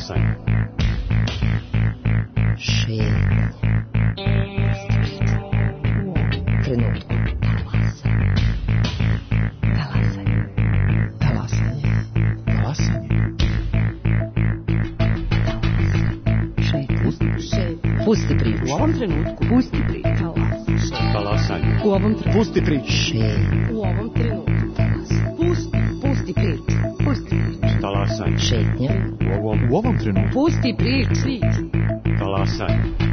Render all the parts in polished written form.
Talasanje. Šetnja. Trenutku. Talasanje. Talasanje. Talasanje. Šetnja. Pusti priču. U ovom trenutku. Pusti priču. Talasanje. U ovom trenutku. Pusti priču. Šetnja. U ovom trenutku. Pusti priču. Pusti priču. Talasanje. Šetnja. U ovom trenutku. Pusti priču. Talasanje.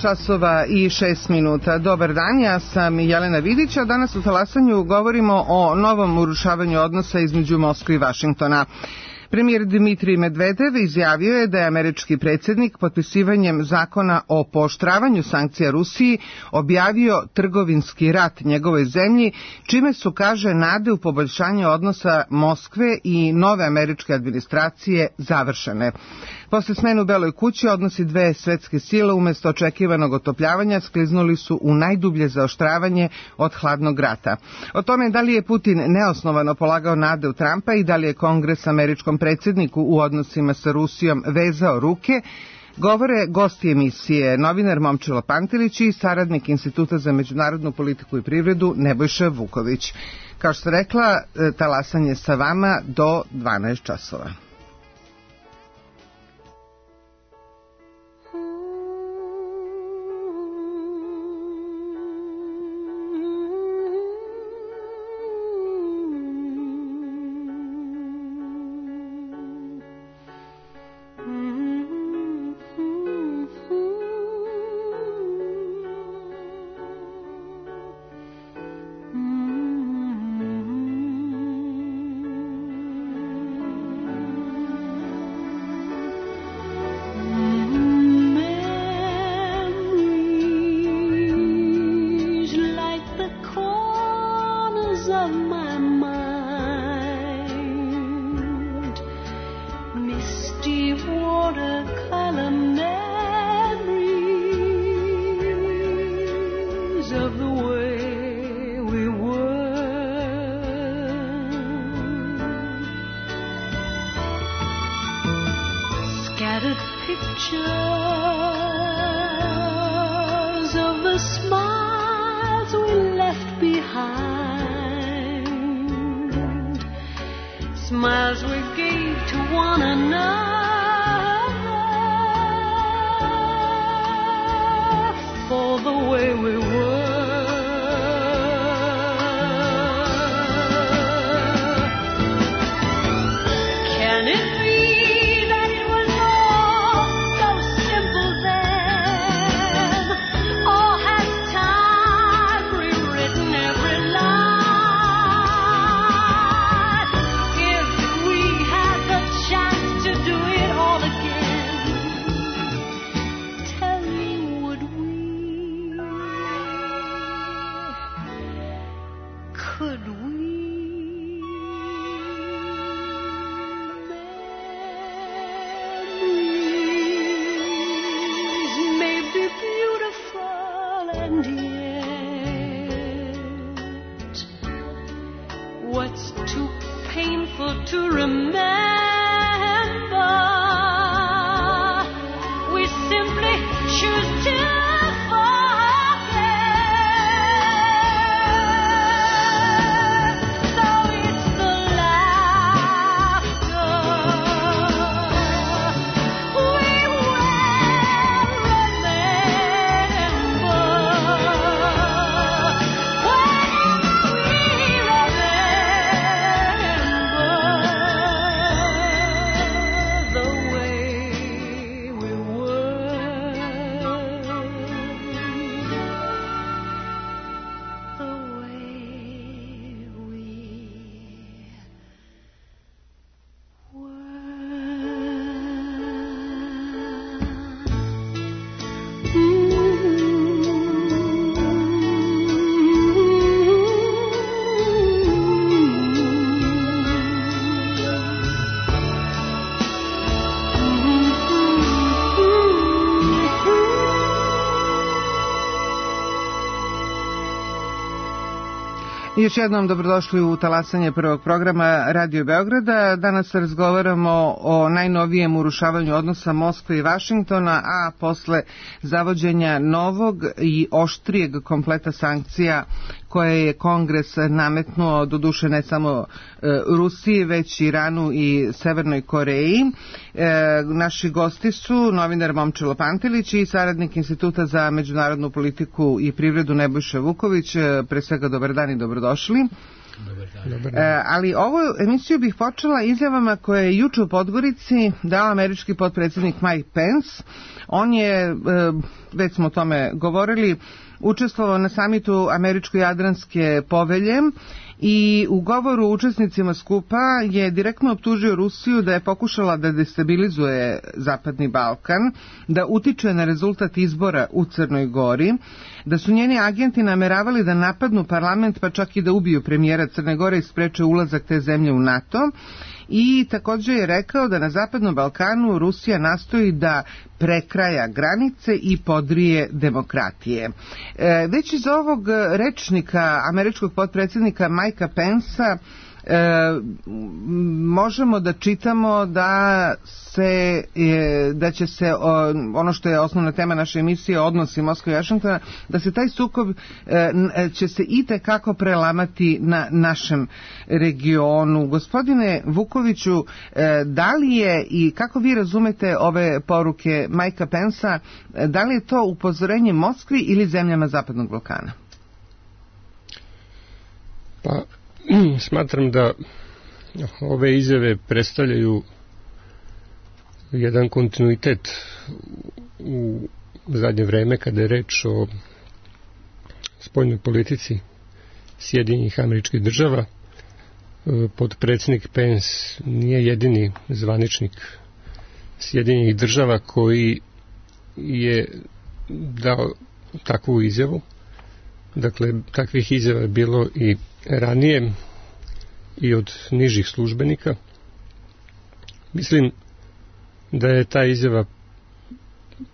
časova i 6 minuta. Dobar dan, ja sam Jelena Vidić, a danas u Talasanju govorimo o novom urušavanju odnosa između Moskve i Vašingtona. Premijer Dmitrij Medvedev izjavio je da je američki predsjednik potpisivanjem zakona o pooštravanju sankcija Rusiji objavio trgovinski rat njegovoj zemlji, čime su, kaže, nade u poboljšanje odnosa Moskve i nove američke administracije završene. Posle smene u Beloj kući odnosi dve svetske sile umesto očekivanog otopljavanja skliznuli su u najdublje zaoštravanje od hladnog rata. O tome da li je Putin neosnovano polagao nade u Trumpa i da li je Kongres američkom predsjedniku u odnosima sa Rusijom vezao ruke, govore gosti emisije, novinar Momčilo Pantelić i saradnik Instituta za međunarodnu politiku i privredu Nebojša Vuković. Kao što rekla, talasanje sa vama do 12 časova. Još jednom dobrodošli u talasanje prvog programa Radio Beograda. Danas razgovaramo o najnovijem urušavanju odnosa Moskve i Vašingtona, a posle zavođenja novog i oštrijeg kompleta sankcija koje je Kongres nametnuo, doduše ne samo Rusiji, već Iranu i Severnoj Koreji. Naši gosti su novinar Momčilo Pantelić i saradnik Instituta za međunarodnu politiku i privredu Nebojša Vuković. Pre svega dobar dan i dobrodošli. Dobar dan. Ali ovu emisiju bih počela izjavama koje je juče u Podgorici dao američki potpredsjednik Mike Pence. On je, već smo o tome govorili, učestvovao na samitu Američko-Jadranske povelje i u govoru učesnicima skupa je direktno optužio Rusiju da je pokušala da destabilizuje Zapadni Balkan, da utiče na rezultat izbora u Crnoj Gori, da su njeni agenti nameravali da napadnu parlament pa čak i da ubiju premijera Crne Gore i spreče ulazak te zemlje u NATO. I također je rekao da na Zapadnom Balkanu Rusija nastoji da prekraja granice i podrije demokratije. Već iz ovog rečnika američkog potpredsjednika Mikea Pencea možemo da čitamo da će se ono što je osnovna tema naše emisije, odnosi Moskve i Vašingtona, da se taj sukob će se itekako prelamati na našem regionu. Gospodine Vukoviću, da li je i kako vi razumete ove poruke Mikea Pencea, da li je to upozorenje Moskvi ili zemljama Zapadnog Balkana? Pa, smatram da ove izjave predstavljaju jedan kontinuitet u zadnje vreme kada je reč o spoljnoj politici Sjedinjenih Američkih Država. Potpredsjednik Pence nije jedini zvaničnik Sjedinjenih Država koji je dao takvu izjavu. Dakle, takvih izjava je bilo i ranije i od nižih službenika. Mislim da je ta izjava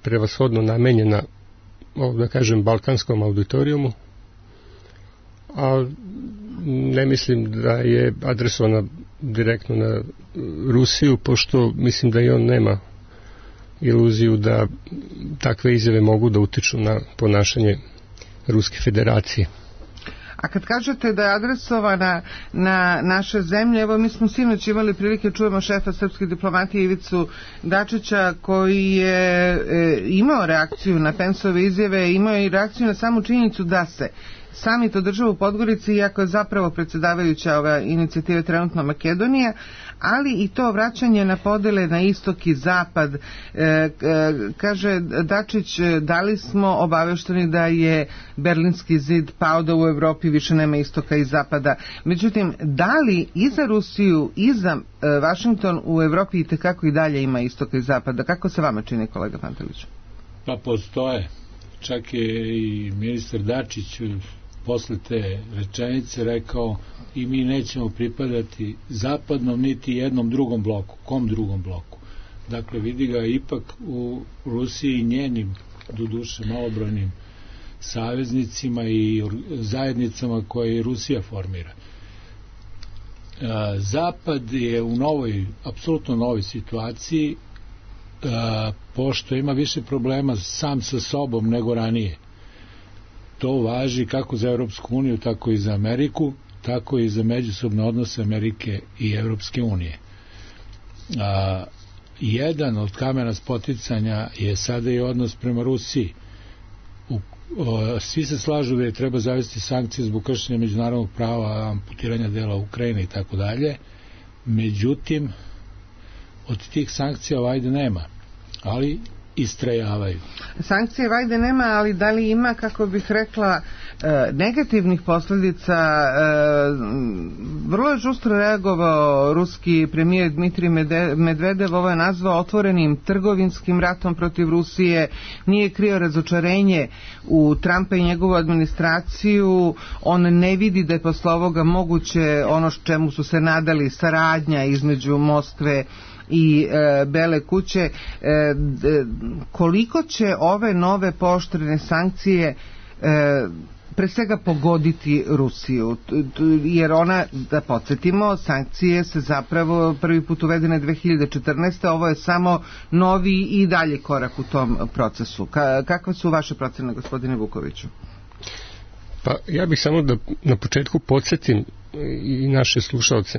prevashodno namenjena, da kažem, balkanskom auditorijumu, a ne mislim da je adresovana direktno na Rusiju, pošto mislim da i on nema iluziju da takve izjave mogu da utiču na ponašanje Ruske federacije. A kad kažete da je adresovana na naše zemlje, evo mi smo sinoć imali prilike čujemo šefa srpske diplomatije Ivicu Dačića koji je imao reakciju na Penceove izjave, imao je i reakciju na samu činjenicu da se samit održava u Podgorici, iako je zapravo predsjedavajuća ove inicijative trenutno Makedonija, ali i to vraćanje na podele na istok i zapad. Kaže Dačić, da li smo obavešteni da je Berlinski zid pao, da u Evropi više nema istoka i zapada. Međutim, da li i za Rusiju i za Vašington u Evropi itekako i dalje ima istoka i zapada? Kako se vama čini, kolega Pantelić? Pa postoje. Čak je i ministar Dačić posle te rečenice rekao i mi nećemo pripadati zapadnom niti jednom drugom bloku. Kom drugom bloku? Dakle, vidi ga ipak u Rusiji i njenim, doduše malobrojnim saveznicima i zajednicama koje Rusija formira. Zapad je u novoj, apsolutno novoj situaciji, pošto ima više problema sam sa sobom nego ranije. To važi kako za Europsku uniju, tako i za Ameriku, tako i za međusobne odnose Amerike i Europske unije. Jedan od kamena spoticanja je sada i odnos prema Rusiji. Svi se slažu da je treba zavesti sankcije zbog kršenja međunarodnog prava, amputiranja dela Ukrajine i tako dalje. Međutim, od tih sankcija vajde nema, ali istrajavaju. Sankcije vajde nema, ali da li ima, kako bih rekla, negativnih posljedica? Vrlo je žustro reagovao ruski premijer Dmitrij Medvedev, ovo je nazvao otvorenim trgovinskim ratom protiv Rusije, nije krio razočarenje u Trumpa i njegovu administraciju, on ne vidi da je posle ovoga moguće ono čemu su se nadali, saradnja između Moskve i Bele kuće. Koliko će ove nove pooštrene sankcije pre svega pogoditi Rusiju, jer ona, da podsjetimo, sankcije se zapravo prvi put uvedene 2014. Ovo je samo novi i dalje korak u tom procesu. Kakve su vaše procene, gospodine Vukoviću? Pa ja bih samo da na početku podsjetim i naše slušalce.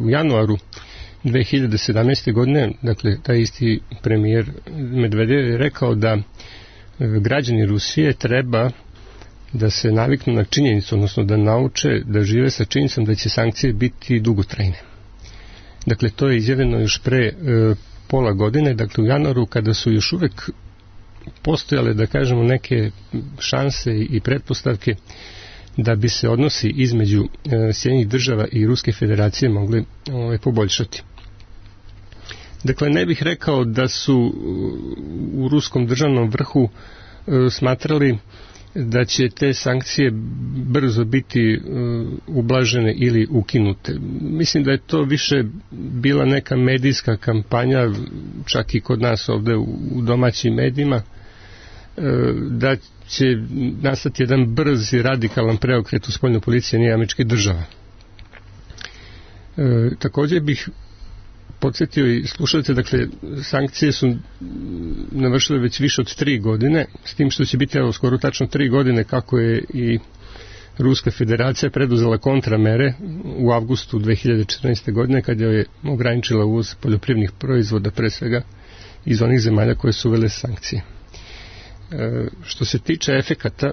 U januaru 2017. godine, dakle, taj isti premijer Medvedev je rekao da građani Rusije treba da se naviknu na činjenicu, odnosno da nauče da žive sa činjenicom da će sankcije biti dugotrajne. Dakle, to je izjavljeno još pre pola godine, dakle u januaru, kada su još uvek postojale, da kažemo, neke šanse i pretpostavke da bi se odnosi između Sjedinjenih Država i Ruske Federacije mogli poboljšati. Dakle, ne bih rekao da su u ruskom državnom vrhu smatrali da će te sankcije brzo biti ublažene ili ukinute. Mislim da je to više bila neka medijska kampanja, čak i kod nas ovde u domaćim medijima, da će nastati jedan brz i radikalan preokret u spoljnoj politici Sjedinjenih Američkih Država. Također bih podsjetio i slušajte, dakle, sankcije su navršile već više od 3 godine, s tim što će biti skoro tačno 3 godine kako je i Ruska Federacija preduzela kontramere u avgustu 2014. godine kad je ograničila uvoz poljoprivrednih proizvoda, pre svega iz onih zemalja koje su uvele sankcije. Što se tiče efekata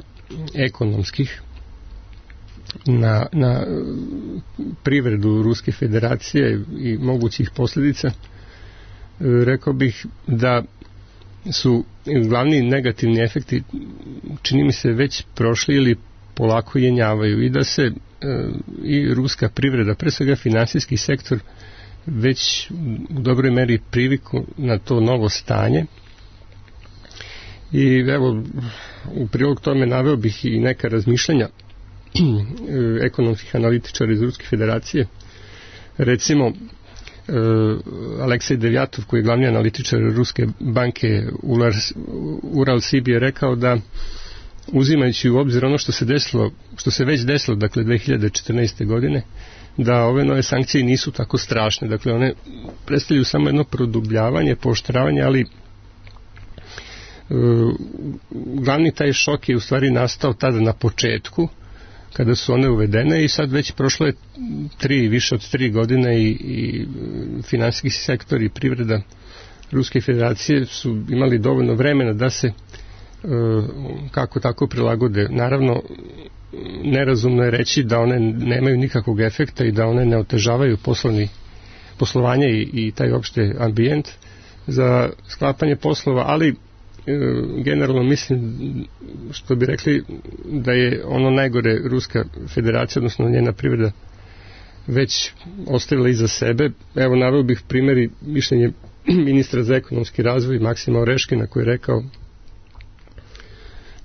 ekonomskih na privredu Ruske Federacije i mogućih posljedica, rekao bih da su glavni negativni efekti, čini mi se, već prošli ili polako jenjavaju i da se i ruska privreda, pre svega finansijski sektor, već u dobroj meri priviku na to novo stanje. I evo, u prilog tome naveo bih i neka razmišljanja ekonomskih analitičara iz Ruske Federacije. Recimo, Aleksej Devjatov, koji je glavni analitičar Ruske banke Ural-Sib, je rekao da, uzimajući u obzir ono što se već desilo, dakle 2014. godine, da ove nove sankcije nisu tako strašne. Dakle, one predstavljaju samo jedno produbljavanje, pooštravanje, ali glavni taj šok je u stvari nastao tada na početku, kada su one uvedene, i sad već prošlo je više od 3 godine i finansijski sektor i privreda Ruske Federacije su imali dovoljno vremena da se kako tako prilagode. Naravno, nerazumno je reći da one nemaju nikakvog efekta i da one ne otežavaju poslovanje i taj opšte ambijent za sklapanje poslova, ali generalno mislim, što bi rekli, da je ono najgore Ruska Federacija, odnosno njena privreda, već ostavila iza sebe. Evo, naveo bih primjer i mišljenje ministra za ekonomski razvoj Maksima Oreškina, koji je rekao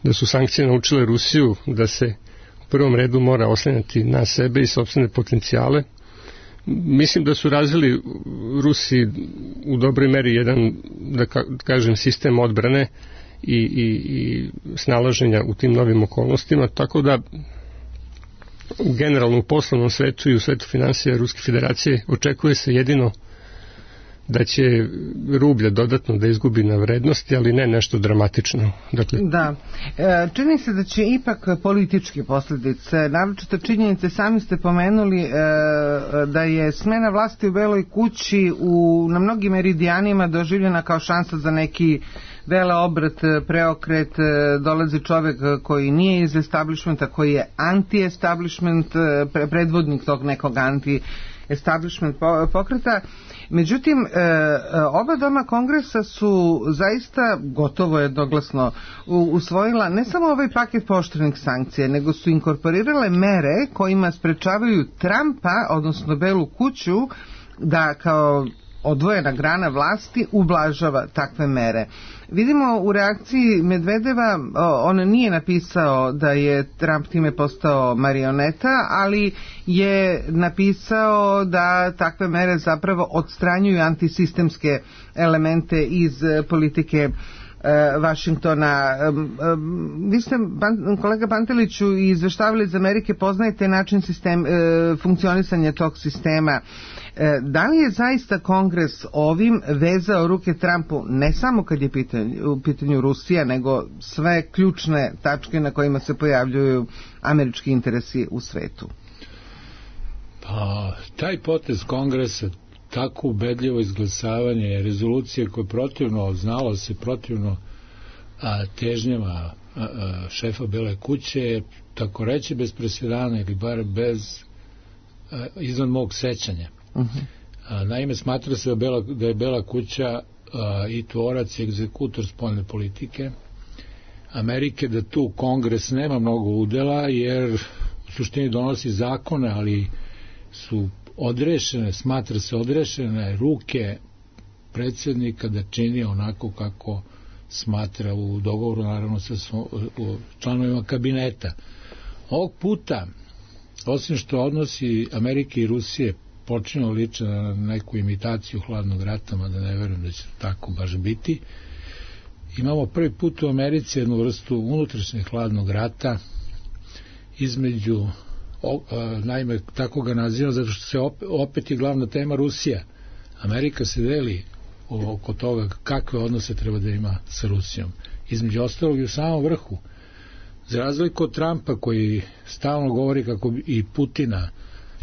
da su sankcije naučile Rusiju da se u prvom redu mora oslanjati na sebe i sopstvene potencijale. Mislim da su razvili Rusi u dobroj meri jedan, da kažem, sistem odbrane i snalaženja u tim novim okolnostima, tako da generalno u poslovnom svetu i u svetu finansija Ruske Federacije očekuje se jedino da će rublja dodatno da izgubi na vrednosti, ali ne nešto dramatično. Dakle, da. Čini se da će ipak političke posljedice, naročito činjenice, sami ste pomenuli da je smena vlasti u Beloj kući na mnogim meridijanima doživljena kao šansa za neki veleobrat, preokret. Dolazi čovek koji nije iz establishmenta, koji je anti-establishment, predvodnik tog nekog anti-establishment pokreta. Međutim, oba doma kongresa su zaista gotovo jednoglasno usvojila ne samo ovaj paket pooštrenih sankcija, nego su inkorporirale mere kojima sprečavaju Trumpa, odnosno Belu kuću, da kao odvojena grana vlasti ublažava takve mere. Vidimo u reakciji Medvedeva, on nije napisao da je Trump time postao marioneta, ali je napisao da takve mere zapravo odstranjuju antisistemske elemente iz politike Vašingtona. Vi ste, kolega Panteliću, izveštavali iz Amerike, poznajete način funkcionisanja tog sistema. Da li je zaista Kongres ovim vezao ruke Trumpu, ne samo kad je u pitanju Rusija, nego sve ključne tačke na kojima se pojavljuju američki interesi u svetu? Pa, taj potez Kongresa, tako ubedljivo izglasavanje rezolucije koje protivno, znalo se protivno težnjama šefa Bele kuće, tako reći bez presedana ili bar bez izvan mog sećanja. Naime, smatra se da je Bela kuća i tvorac i egzekutor spoljne politike Amerike, da tu Kongres nema mnogo udela, jer u suštini donosi zakone, ali su odrešene, smatra se odrešene ruke predsjednika da čini onako kako smatra u dogovoru, naravno sa članovima kabineta. Ovog puta, osim što odnosi Amerike i Rusije počinju liče na neku imitaciju hladnog rata, mada ne verujem da će tako baš biti, imamo prvi put u Americi jednu vrstu unutrašnjeg hladnog rata između, naime tako ga nazivam zato što se opet je glavna tema Rusija. Amerika se deli oko toga kakve odnose treba da ima sa Rusijom. Između ostalog i u samom vrhu. Za razliku od Trumpa koji stalno govori kako i Putina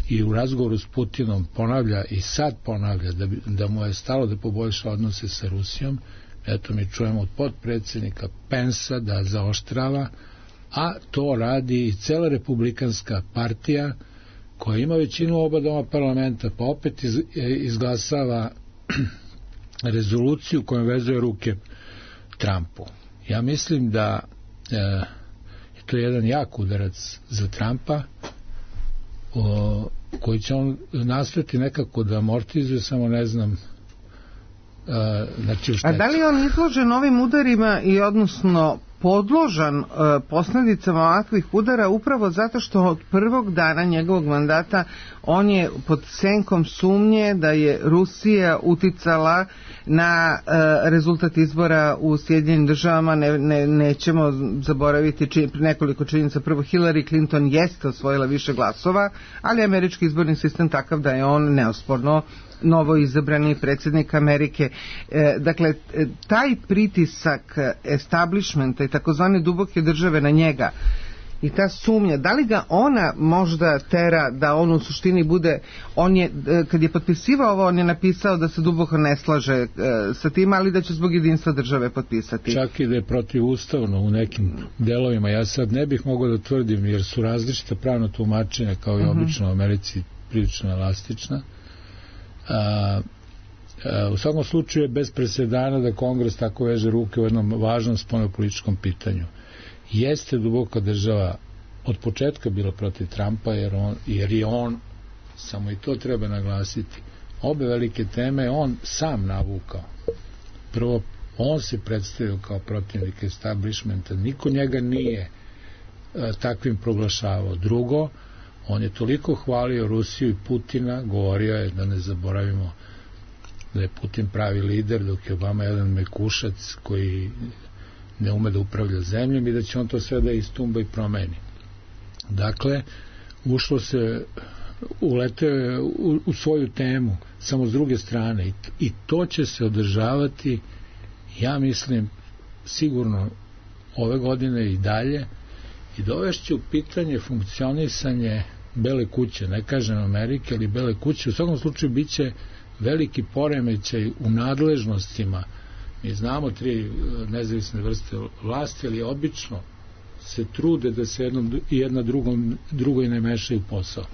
i u razgovoru s Putinom ponavlja i sad ponavlja da mu je stalo da poboljša odnose sa Rusijom, eto mi čujemo od potpredsjednika Pensa da zaoštrava, a to radi i cela republikanska partija koja ima većinu oba doma parlamenta, pa opet izglasava rezoluciju kojom vezuje ruke Trumpu. Ja mislim da je to jedan jak udarac za Trumpa, koji će on nastojati nekako da amortizuje, samo ne znam znači u štetu. A da li je on izložen ovim udarima i odnosno podložan posljedicama ovakvih udara upravo zato što od prvog dana njegovog mandata on je pod senkom sumnje da je Rusija uticala na rezultat izbora u Sjedinjenim državama. Nećemo zaboraviti nekoliko činjenica. Prvo, Hillary Clinton jeste osvojila više glasova, ali američki izborni sistem takav da je on neosporno novo izabrani predsjednik Amerike. Dakle, taj pritisak establishmenta i takozvane duboke države na njega i ta sumnja, da li ga ona možda tera da on u suštini bude, on je, kad je potpisivao ovo, on je napisao da se duboko ne slaže sa tim, ali da će zbog jedinstva države potpisati. Čak i da je protivustavno u nekim delovima, ja sad ne bih mogao da tvrdim, jer su različita pravna tumačenja, kao i obično u Americi, prilično elastična. U svakom slučaju je bez presedana da Kongres tako veže ruke u jednom važnom spoljnopolitičkom pitanju. Jeste duboka država od početka bila protiv Trumpa, jer je on, samo i to treba naglasiti, obe velike teme on sam navukao. Prvo, on se predstavio kao protivnik establishmenta, niko njega nije takvim proglašavao. Drugo, on je toliko hvalio Rusiju i Putina, govorio je, da ne zaboravimo, da je Putin pravi lider, dok je Obama jedan mekušac koji ne ume da upravlja zemljom i da će on to sve da istumba i promeni. Dakle, ušlo se, uleteo u svoju temu, samo s druge strane, i to će se održavati, ja mislim, sigurno ove godine i dalje, i dovešće u pitanje funkcionisanje Bele kuće, ne kažem Amerike, ali Bele kuće. U svakom slučaju bit će veliki poremećaj u nadležnostima. Mi znamo tri nezavisne vrste vlasti, ali obično se trude da se jedna drugoj ne mešaju posao.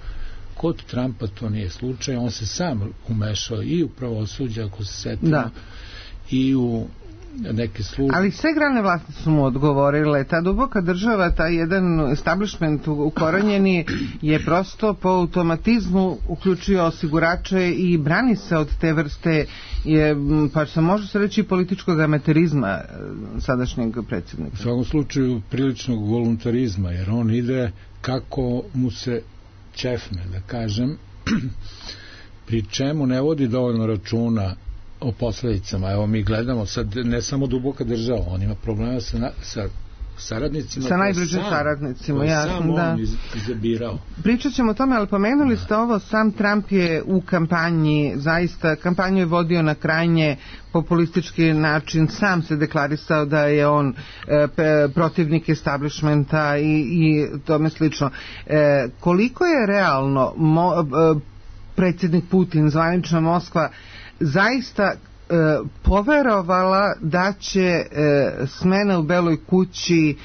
Kod Trumpa to nije slučaj, on se sam umešao i u pravosuđe, ako se setimo, i u neke službe. Ali sve grane vlasti su mu odgovorile. Ta duboka država, taj jedan establishment ukorenjeni je prosto po automatizmu uključio osigurače i brani se od te vrste, pa se može se reći, političkog amaterizma sadašnjeg predsjednika. U svakom slučaju priličnog voluntarizma, jer on ide kako mu se ćefne, da kažem, pri čemu ne vodi dovoljno računa o posledicama. Evo mi gledamo sad ne samo duboka država, on ima problema sa saradnicima, sa najbližim saradnicima, jasno, sam da. on izabirao. Pričat ćemo o tome, ali pomenuli ste ovo, sam Trump je u kampanji, zaista kampanju je vodio na krajnje populistički način, sam se deklarisao da je on protivnik establishmenta i tome slično. Koliko je realno predsjednik Putin, zvanična Moskva, zaista poverovala da će smena u Beloj kući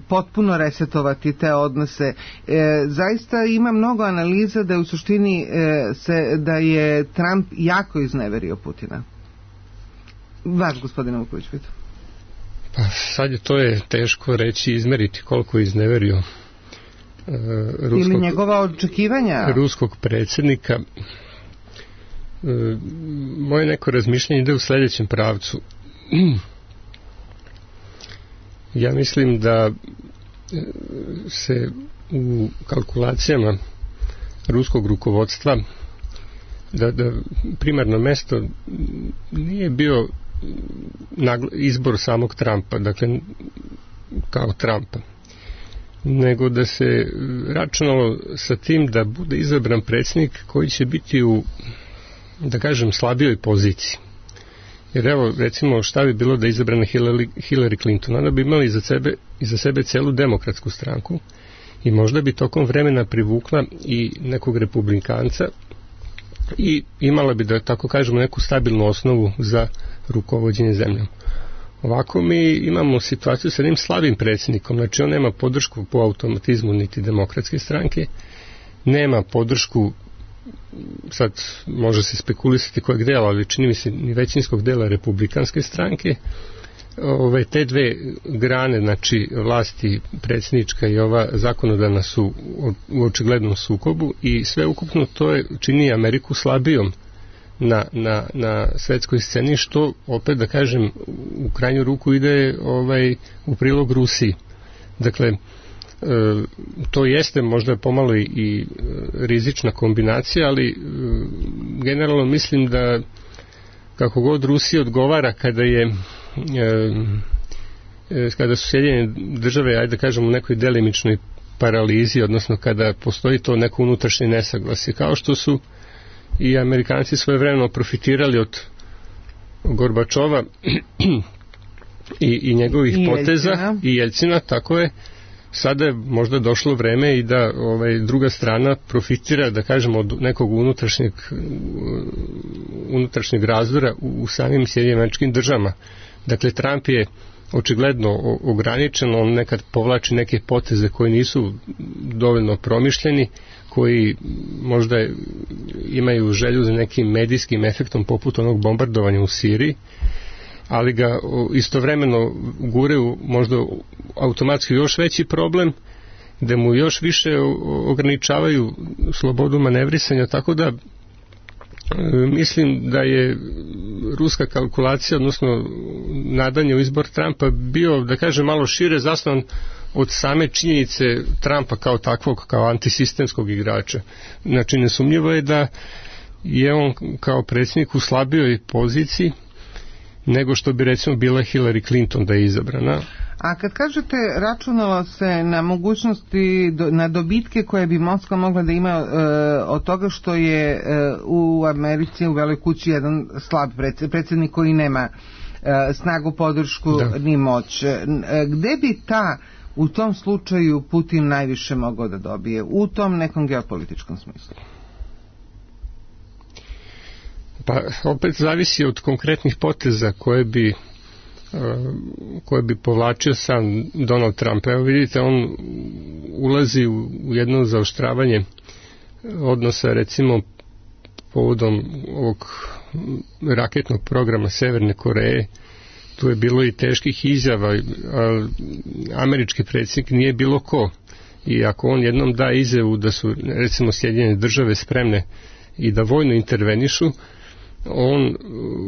potpuno resetovati te odnose. Zaista ima mnogo analiza da je u suštini da je Trump jako izneverio Putina. Vaš, gospodine Vuković, pitam. Pa sad je teško reći, izmeriti koliko je izneverio ili njegova očekivanja ruskog predsjednika. Moje neko razmišljanje ide u sljedećem pravcu. Ja mislim da se u kalkulacijama ruskog rukovodstva da primarno mesto nije bio izbor samog Trumpa, dakle kao Trumpa, nego da se računalo sa tim da bude izabran predsjednik koji će biti u, da kažem, slabijoj poziciji. Jer evo, recimo, šta bi bilo da je izabrana Hillary Clinton? Ona bi imala iza sebe celu demokratsku stranku i možda bi tokom vremena privukla i nekog republikanca i imala bi, da tako kažemo, neku stabilnu osnovu za rukovođenje zemljom. Ovako mi imamo situaciju sa jednim slabim predsjednikom, znači on nema podršku po automatizmu niti demokratske stranke, nema podršku, sad može se spekulisati kojeg dela, ali čini mi se ni većinskog dela republikanske stranke. Te dve grane, znači vlasti predsjednička i ova zakonodavna, su u očiglednom sukobu i sve ukupno to čini Ameriku slabijom na svetskoj sceni, što opet, da kažem, u krajnju ruku ide u prilog Rusiji. Dakle, to jeste možda pomalo i rizična kombinacija, ali generalno mislim da kako god Rusiji odgovara kada su Sjedinjene države, ajde da kažem, u nekoj delimičnoj paralizi, odnosno kada postoji to neko unutrašnje nesaglasje, kao što su i Amerikanci svojevremeno profitirali od Gorbačova i njegovih poteza i Jeljcina, tako je. Sada je možda došlo vreme i da druga strana profitira, da kažemo, od nekog unutrašnjeg razdora u samim Sjedinjenim Američkim Državama. Dakle, Trump je očigledno ograničen, on nekad povlači neke poteze koji nisu dovoljno promišljeni, koji možda imaju želju za nekim medijskim efektom poput onog bombardovanja u Siriji, ali ga istovremeno guraju možda automatski još veći problem, da mu još više ograničavaju slobodu manevrisanja, tako da mislim da je ruska kalkulacija, odnosno nadanje u izbor Trumpa, bio, da kažem, malo šire zasnovan od same činjenice Trumpa kao takvog, kao antisistemskog igrača. Znači, nesumnjivo je da je on kao predsjednik u slabijoj poziciji nego što bi, recimo, bila Hillary Clinton da je izabrana. A kad kažete računalo se na mogućnosti, na dobitke koje bi Moskva mogla da ima od toga što je u Americi u Beloj kući jedan slab predsjednik koji nema snagu, podršku ni moć. Gde bi u tom slučaju Putin najviše mogao da dobije u tom nekom geopolitičkom smislu? Pa opet zavisi od konkretnih poteza koje bi povlačio sam Donald Trump. Evo vidite, on ulazi u jedno zaoštravanje odnosa, recimo povodom ovog raketnog programa Severne Koreje. Tu je bilo i teških izjava, američki predsjednik nije bilo ko, i ako on jednom da izjavu da su, recimo, Sjedinjene države spremne i da vojno intervenišu, on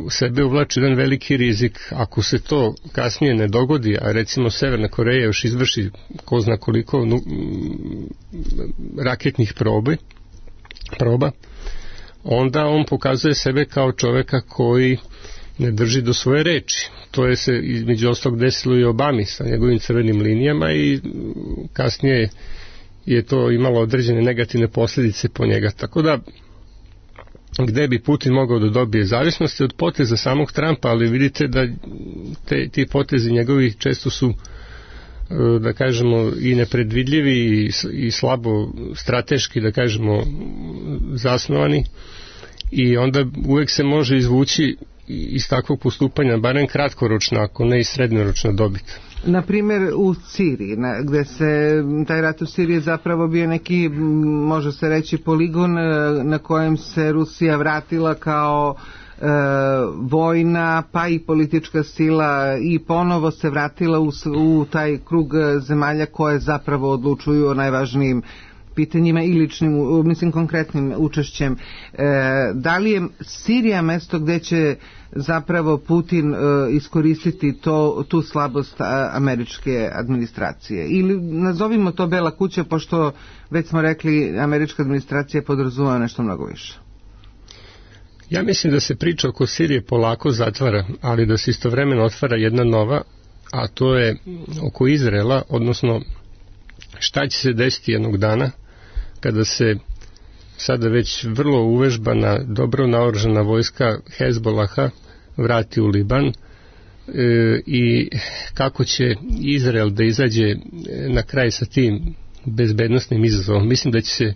sebe uvlači jedan veliki rizik. Ako se to kasnije ne dogodi, a recimo Severna Koreja još izvrši ko zna koliko raketnih proba, onda on pokazuje sebe kao čoveka koji ne drži do svoje reči. To je se između ostalog desilo i Obami sa njegovim crvenim linijama i kasnije je to imalo određene negativne posljedice po njega. Tako da, gde bi Putin mogao da dobije zavisnosti od poteza samog Trumpa, ali vidite da ti potezi njegovi često su, da kažemo, i nepredvidljivi i slabo strateški, da kažemo, zasnovani, i onda uvek se može izvući iz takvog postupanja barem kratkoročna, ako ne i srednjoročna dobit. Na primjer u Siriji, gde se taj rat u Siriji zapravo bio neki, može se reći, poligon na kojem se Rusija vratila kao vojna pa i politička sila i ponovo se vratila u taj krug zemalja koje zapravo odlučuju o najvažnijim pitanjima i ličnim, mislim, konkretnim učešćem. Da li je Sirija mesto gde će zapravo Putin iskoristiti tu slabost američke administracije? Ili nazovimo to Bela kuća, pošto već smo rekli američka administracija podrazumeva nešto mnogo više. Ja mislim da se priča oko Sirije polako zatvara, ali da se istovremeno otvara jedna nova, a to je oko Izraela, odnosno šta će se desiti jednog dana kada se sada već vrlo uvežbana, dobro naoružana vojska Hezbolaha vrati u Liban i kako će Izrael da izađe na kraj sa tim bezbednosnim izazovom. Mislim da će se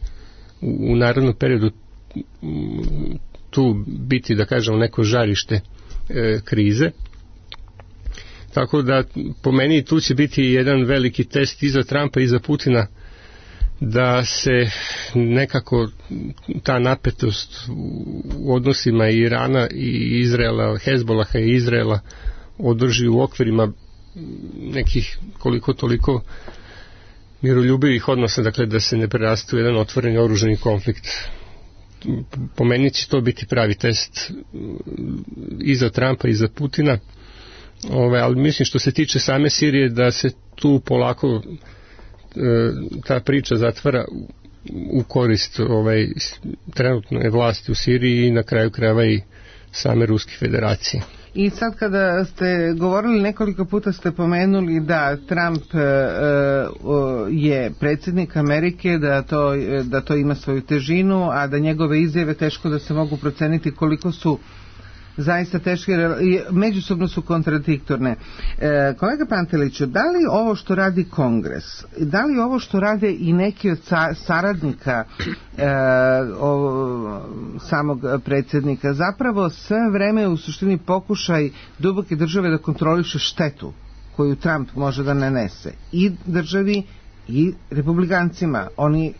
u narednom periodu tu biti, da kažemo, neko žarište krize. Tako da po meni tu će biti jedan veliki test i za Trumpa i za Putina, da se nekako ta napetost u odnosima Irana i Izraela, Hezbolaha i Izraela održi u okvirima nekih koliko toliko miroljubivih odnosa, dakle da se ne preraste u jedan otvoreni oružani konflikt. Po meni će to biti pravi test i za Trumpa i za Putina, ali mislim što se tiče same Sirije da se tu polako ta priča zatvara u korist trenutne vlasti u Siriji i na kraju krajeva i same Ruske federacije. I sad kada ste govorili, nekoliko puta ste pomenuli da Trump je predsjednik Amerike, da to ima svoju težinu, a da njegove izjave teško da se mogu proceniti koliko su zaista teške, međusobno su kontradiktorne. Kolega Panteliću, da li ovo što radi Kongres, da li ovo što rade i neki od saradnika samog predsjednika, zapravo sve vreme u suštini pokušaj duboke države da kontroliše štetu koju Trump može da nanese i državi i republikancima? Oni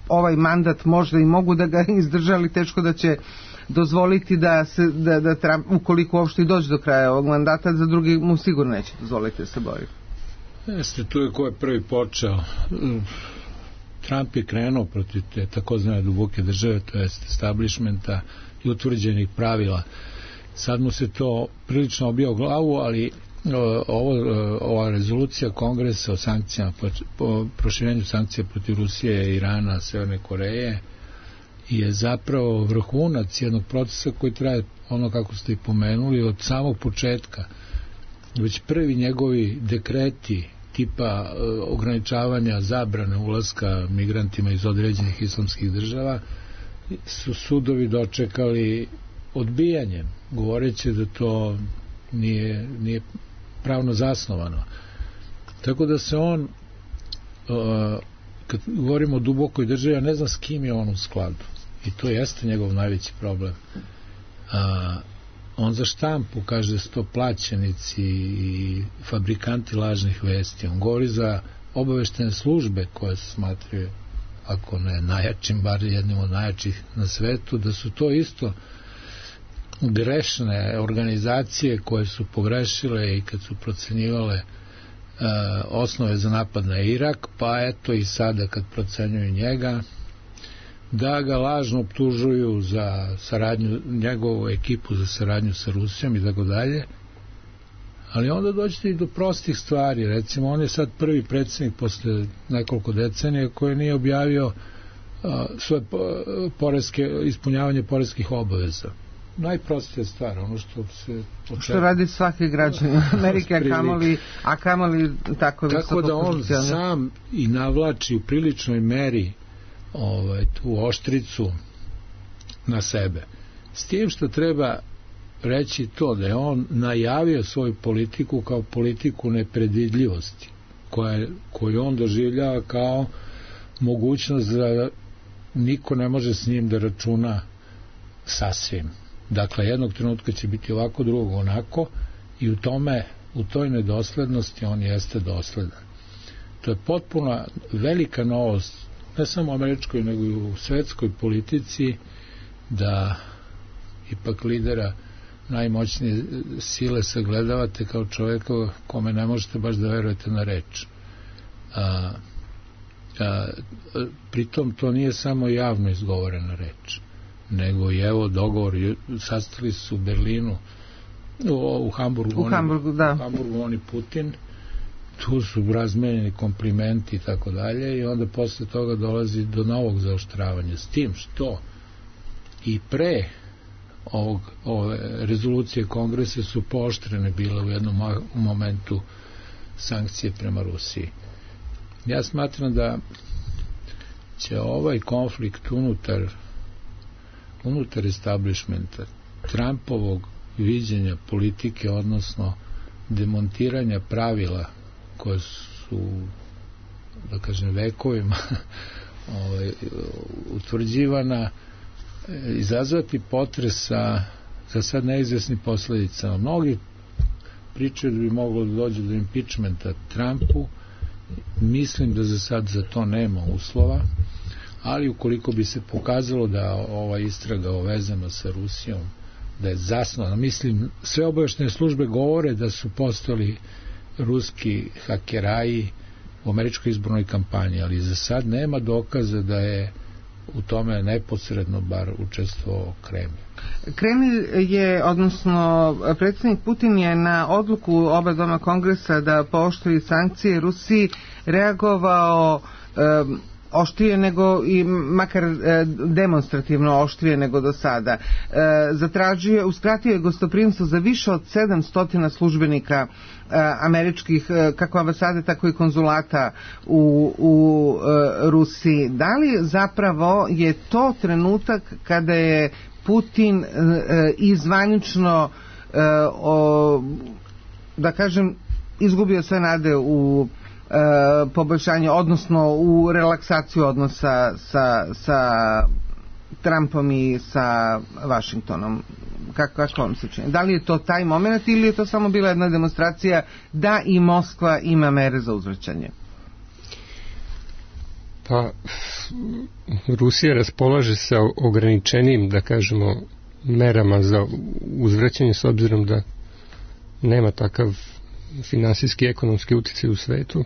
ovaj mandat možda i mogu da ga izdržali, teško da će dozvoliti da Trump, ukoliko uopšte i dođe do kraja ovog mandata, za drugi mu sigurno neće dozvoliti da se bori. Jeste, tu je ko je prvi počeo. Trump je krenuo protiv te takozvane duboke države, to jest establishmenta i utvrđenih pravila. Sad mu se to prilično obija u glavu, ali ova rezolucija Kongresa o sankcijama, proširenju sankcija protiv Rusije, Irana, Severne Koreje je zapravo vrhunac jednog procesa koji traje, ono kako ste i pomenuli, od samog početka. Već prvi njegovi dekreti tipa ograničavanja zabrane ulaska migrantima iz određenih islamskih država su sudovi dočekali odbijanjem, govoreći da to nije pravno zasnovano. Tako da se on, kad govorimo o dubokoj državi, ja ne znam s kim je on u skladu. I to jeste njegov najveći problem. On za štampu kaže da su to plaćenici i fabrikanti lažnih vesti. On govori za obaveštene službe koje se smatraju, ako ne najjačim, bar jednim od najjačih na svetu, da su to isto grešne organizacije koje su pogrešile i kad su procenjivale osnove za napad na Irak, pa eto i sada kad procenjuju njega, da ga lažno optužuju za saradnju, njegovu ekipu za saradnju sa Rusijom i tako dalje. Ali onda dođete i do prostih stvari. Recimo, on je sad prvi predsjednik posle nekoliko decenija koji nije objavio svoje ispunjavanje poreskih obaveza. Najprostija stvar, ono što se očekuje. Što radi svaki građanin Amerike, a kamoli tako visoko. Tako da on sam i navlači u priličnoj meri tu oštricu na sebe. S tim što treba reći to da je on najavio svoju politiku kao politiku nepredvidljivosti, koju on doživljava kao mogućnost da niko ne može s njim da računa sasvim. Dakle, jednog trenutka će biti ovako, drugog onako, i u toj nedoslednosti on jeste dosledan. To je potpuno velika novost, ne samo u američkoj, nego i u svetskoj politici, da ipak lidera najmoćnije sile sagledavate kao čovjeka kome ne možete baš da verujete na reč. Pritom to nije samo javno izgovorena reč, nego i evo dogovor, sastali su u Berlinu, u Hamburgu, on i Putin, tu su razmenjeni komplimenti i tako dalje, i onda posle toga dolazi do novog zaoštravanja, s tim što i pre ove rezolucije kongresa su pooštrene bile u jednom momentu sankcije prema Rusiji. Ja smatram da će ovaj konflikt unutar establishmenta, Trumpovog viđenja politike, odnosno demontiranja pravila koje su, da kažem, vekovima utvrđivana, izazvati potres za sad neizvesnim posledicama. Mnogi pričaju da bi moglo da dođe do impeachmenta Trumpu. Mislim da za sad za to nema uslova, ali ukoliko bi se pokazalo da ova istraga vezana sa Rusijom da je zasnovana, mislim, sve obaveštajne službe govore da su postali ruski hakeraji u američkoj izbornoj kampanji, ali za sad nema dokaza da je u tome neposredno bar učestvovao Kremlj. Kremlj je, odnosno predsjednik Putin je na odluku oba doma kongresa da pooštri sankcije Rusiji reagovao oštrije nego, i makar demonstrativno oštrije nego do sada. Uskratio je gostoprimstvo za više od 700 službenika američkih, kako ambasade, tako i konzulata u Rusiji. Da li zapravo je to trenutak kada je Putin izvanično, da kažem, izgubio sve nade u poboljšanje, odnosno u relaksaciju odnosa sa Trumpom i sa Vašingtonom? Kako vam se čini? Da li je to taj moment ili je to samo bila jedna demonstracija da i Moskva ima mere za uzvraćanje? Pa, Rusija raspolaže sa ograničenim, da kažemo, merama za uzvraćanje, s obzirom da nema takav finansijski i ekonomski uticaj u svetu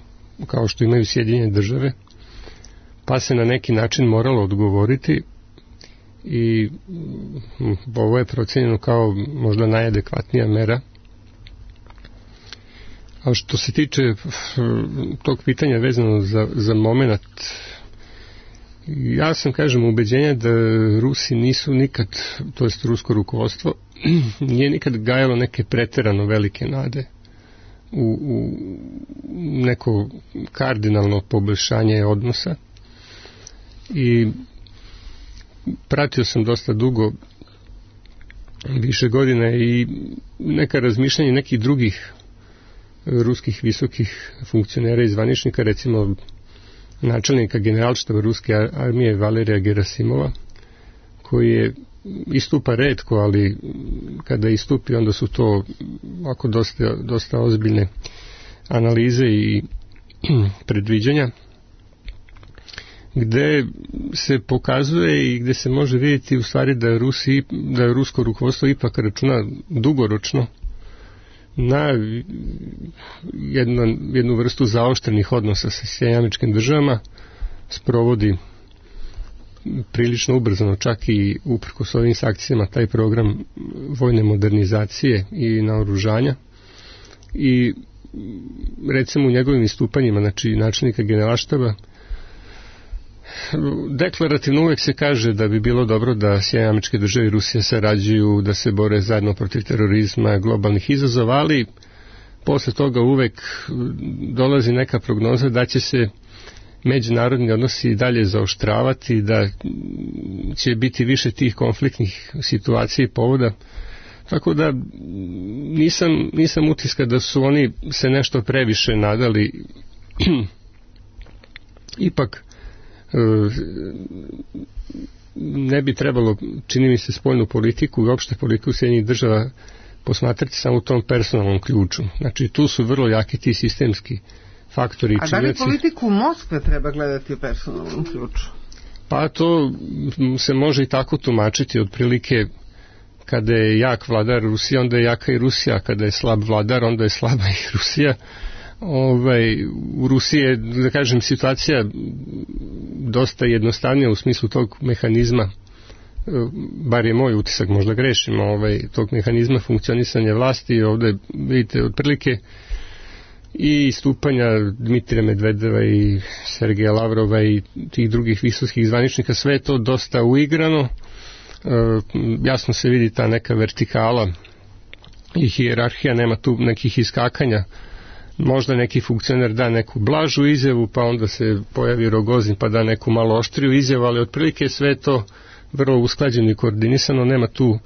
kao što imaju Sjedinjene države, pa se na neki način moralo odgovoriti, i ovo je procenjeno kao možda najadekvatnija mera. A što se tiče tog pitanja vezano za moment, ja sam, kažem, ubeđenja da Rusi nisu nikad, to jest rusko rukovodstvo, nije nikad gajalo neke preterano velike nade u neko kardinalno poboljšanje odnosa, i pratio sam dosta dugo, više godina, i neka razmišljanja nekih drugih ruskih visokih funkcionera i zvaničnika, recimo načelnika generalštaba ruske armije Valerija Gerasimova, koji je istupa retko, ali kada istupi onda su to ovako dosta ozbiljne analize i predviđanja, gde se pokazuje i gde se može vidjeti u stvari da rusko rukovodstvo ipak računa dugoročno na jednu vrstu zaoštrenih odnosa sa Sjedinjenim Američkim Državama, sprovodi prilično ubrzano, čak i uprkos ovim sankcijama, taj program vojne modernizacije i naoružanja, i recimo u njegovim istupanjima, znači načelnika generalštaba, deklarativno uvek se kaže da bi bilo dobro da Sjedinjene Američke Države i Rusija sarađuju, da se bore zajedno protiv terorizma, globalnih izazova, ali posle toga uvek dolazi neka prognoza da će se međunarodni odnosi dalje zaoštravati, da će biti više tih konfliktnih situacija i povoda. Tako da nisam utiska da su oni se nešto previše nadali. Ipak ne bi trebalo, čini mi se, spoljnu politiku i opšte politiku Sjedinjenih Država posmatrati samo u tom personalnom ključu. Znači, tu su vrlo jaki ti sistemski faktori. A da li politiku Moskve treba gledati u personalnom ključu? Pa to se može i tako tumačiti, otprilike kada je jak vladar Rusija, onda je jaka i Rusija, kada je slab vladar, onda je slaba i Rusija. U Rusiji je, da kažem, situacija dosta jednostavnija u smislu tog mehanizma, bar je moj utisak, možda grešim, tog mehanizma funkcionisanja vlasti. Ovde vidite otprilike i istupanja Dmitrija Medvedeva i Sergeja Lavrova i tih drugih visokih zvaničnika, sve je to dosta uigrano. Jasno se vidi ta neka vertikala i hijerarhija, nema tu nekih iskakanja. Možda neki funkcioner da neku blažu izjavu, pa onda se pojavi Rogozin pa da neku malo oštriju izjavu, ali otprilike sve to vrlo usklađeno i koordinisano, nema tu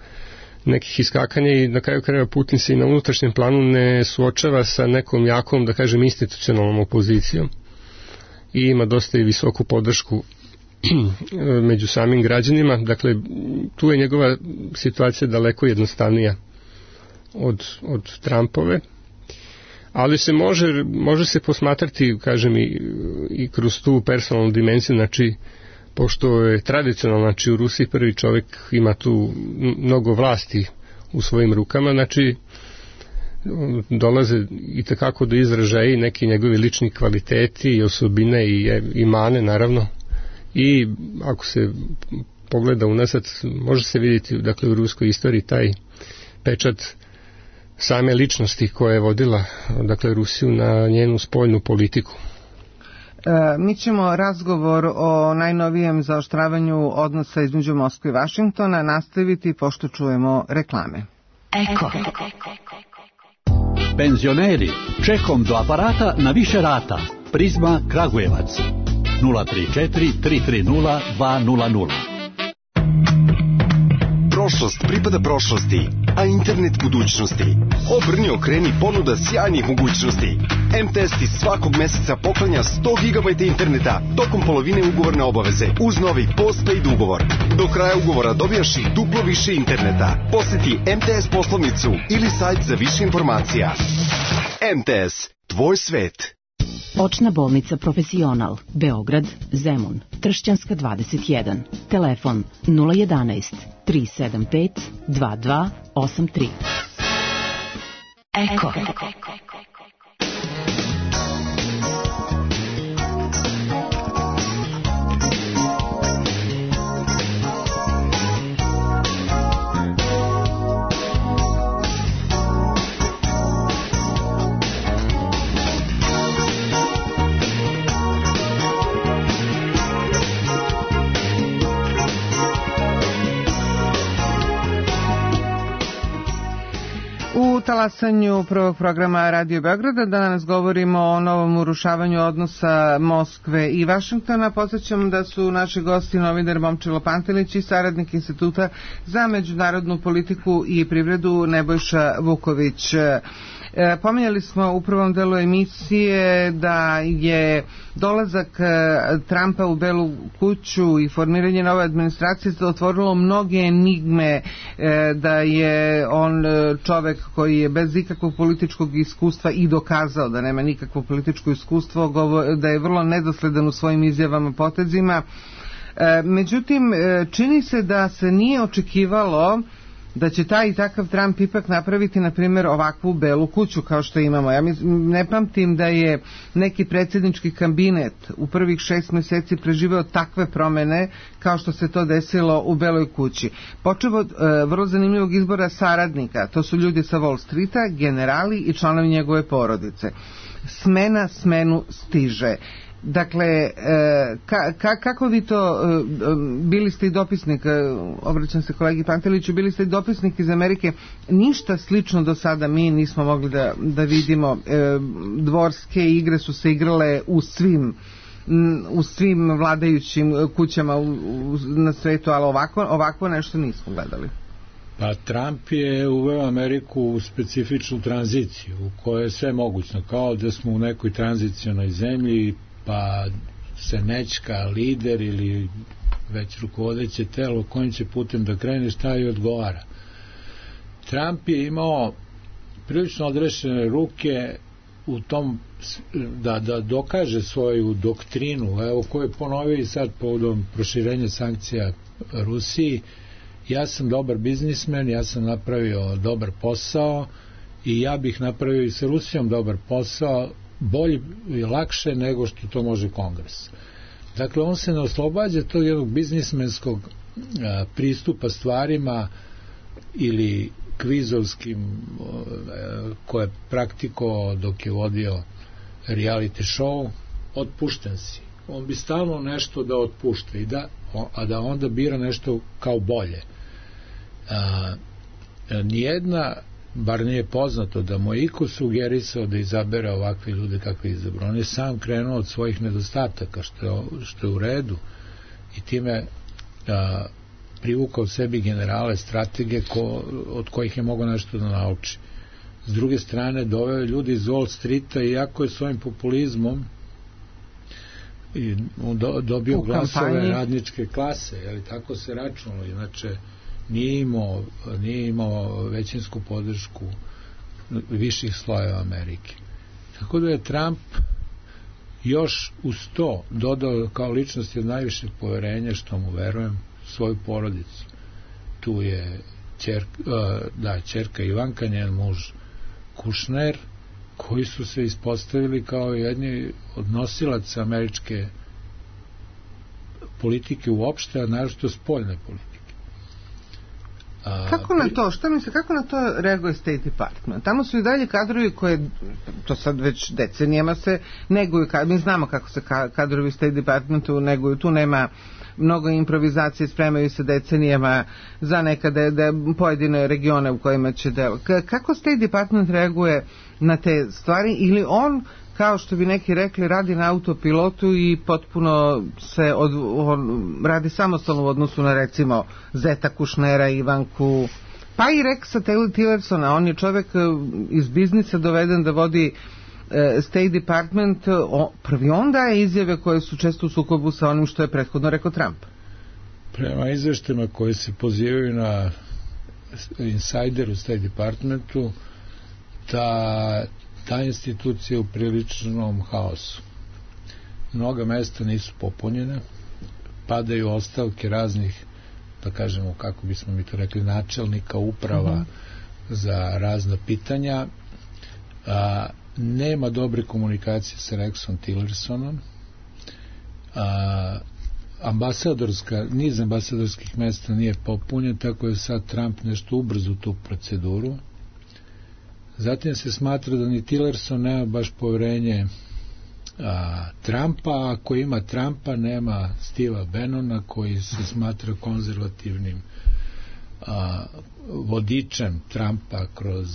nekih iskakanja i na kraju krajeva Putin se i na unutrašnjem planu ne suočava sa nekom jakom, da kažem, institucionalnom opozicijom i ima dosta i visoku podršku među samim građanima. Dakle, tu je njegova situacija daleko jednostavnija od Trumpove, ali se može se posmatrati, kažem, i kroz tu personalnu dimenziju. Znači, pošto je tradicionalno, znači u Rusiji prvi čovjek ima tu mnogo vlasti u svojim rukama, znači dolaze i takako do izražaja i neki njegovi lični kvaliteti i osobine i mane, naravno. I ako se pogleda unazad, može se vidjeti, dakle, u ruskoj istoriji taj pečat same ličnosti koja je vodila, dakle, Rusiju na njenu spoljnu politiku. Mi ćemo razgovor o najnovijem zaoštravanju odnosa između Moskve i Vašingtona nastaviti pošto čujemo reklame. Eko. Penzioneri, čekom do aparata na više rata. Prizma Kragujevac 034 330 200. Prošlost pripada prošlosti, a internet budućnosti. Obrni, okreni, ponuda sjajnih mogućnosti. MTS ti svakog meseca poklanja 100 GB interneta tokom polovine ugovorne obaveze uz novi postpaid ugovor. Do kraja ugovora dobijaš i duplo više interneta. Posjeti MTS poslovnicu ili sajt za više informacija. MTS, tvoj svet. Očna bolnica Profesional, Beograd, Zemun, Tršćanska 21, telefon 011 375 2283. Eko. U talasanju prvog programa Radio Beograda danas govorimo o novom urušavanju odnosa Moskve i Vašingtona. Podsjećam da su naši gosti novinar Momčilo Pantelić i saradnik Instituta za međunarodnu politiku i privredu Nebojša Vuković. Pominjali smo u prvom delu emisije da je dolazak Trumpa u Belu kuću i formiranje nove administracije otvorilo mnoge enigme, da je on čovek koji je bez ikakvog političkog iskustva i dokazao da nema nikakvo političko iskustvo, da je vrlo nedosledan u svojim izjavama, potezima. Međutim, čini se da se nije očekivalo da će taj i takav Trump ipak napraviti, na primjer, ovakvu Belu kuću kao što imamo. Ja ne pamtim da je neki predsjednički kabinet u prvih 6 mjeseci preživeo takve promjene kao što se to desilo u Beloj kući. Počeo od vrlo zanimljivog izbora saradnika, to su ljudi sa Wall Streeta, generali i članovi njegove porodice. Smena smenu stiže. Dakle, kako vi to, bili ste i dopisnik, obraćam se kolegi Panteliću, bili ste i dopisnik iz Amerike, ništa slično do sada mi nismo mogli da vidimo. Dvorske igre su se igrale u svim vladajućim kućama na svetu, ali ovako nešto nismo gledali. Pa Trump je uveo Ameriku u specifičnu tranziciju u kojoj je sve mogućno, kao da smo u nekoj tranzicionoj zemlji, pa se nečka lider ili već rukovodeće telo kojim će putem da krene, šta i odgovara. Trump je imao prilično odrešene ruke u tom da dokaže svoju doktrinu, evo koju je ponovio i sad povodom proširenja sankcija Rusiji. Ja sam dobar biznismen, ja sam napravio dobar posao i ja bih napravio i sa Rusijom dobar posao, bolje i lakše nego što to može Kongres. Dakle, on se ne oslobađa tog jednog biznismenskog pristupa stvarima ili kvizovskim koje je praktikovao dok je vodio reality show. Otpušten si. On bi stalno nešto da otpušta a da onda bira nešto kao bolje. Nijedna, bar nije poznato da mu je iko sugerisao da izabere ovakve ljude kakve izabrao. On je sam krenuo od svojih nedostataka, što je u redu, i time privukao sebi generale, stratege od kojih je mogao nešto da nauči. S druge strane, doveo ljudi iz Wall Streeta, iako je svojim populizmom dobio glasove radničke klase, ali tako se računalo, inače nije imao većinsku podršku viših slojeva Amerike. Tako da je Trump još uz to dodao kao ličnosti od najvišeg poverenja, što mu verujem, svoju porodicu. Tu je ćerka Ivanka, njen muž Kushner, koji su se ispostavili kao jedni od nosilaca američke politike uopšte, a naročito spoljne politike. Kako na to reaguje State Department? Tamo su i dalje kadrovi koje, to sad već decenijama se neguju, mi znamo kako se kadrovi State Departmentu neguju, tu nema mnogo improvizacije, spremaju se decenijama za nekada pojedine regione u kojima će delo. Kako State Department reaguje na te stvari, ili on, kao što bi neki rekli, radi na autopilotu i potpuno se radi samostalno u odnosu na, recimo, Zeta Kushnera, Ivanku, pa i Rexa Tillersona? On je čovek iz biznisa doveden da vodi State Department, prvi on daje izjave koje su često u sukobu sa onim što je prethodno rekao Trump. Prema izveštima koji se pozivaju na insider u State Departmentu, ta institucija u priličnom haosu. Mnoga mesta nisu popunjene, padaju ostavke raznih, da kažemo, kako bismo mi to rekli, načelnika uprava za razna pitanja. Nema dobre komunikacije sa Rexom Tillersonom. Niz ambasadorskih mesta nije popunjen, tako je sad Trump nešto ubrzo tu proceduru. Zatim se smatra da ni Tillerson nema baš poverenje Trumpa, ako ima Trumpa nema Steva Bannona, koji se smatra konzervativnim vodičem Trumpa kroz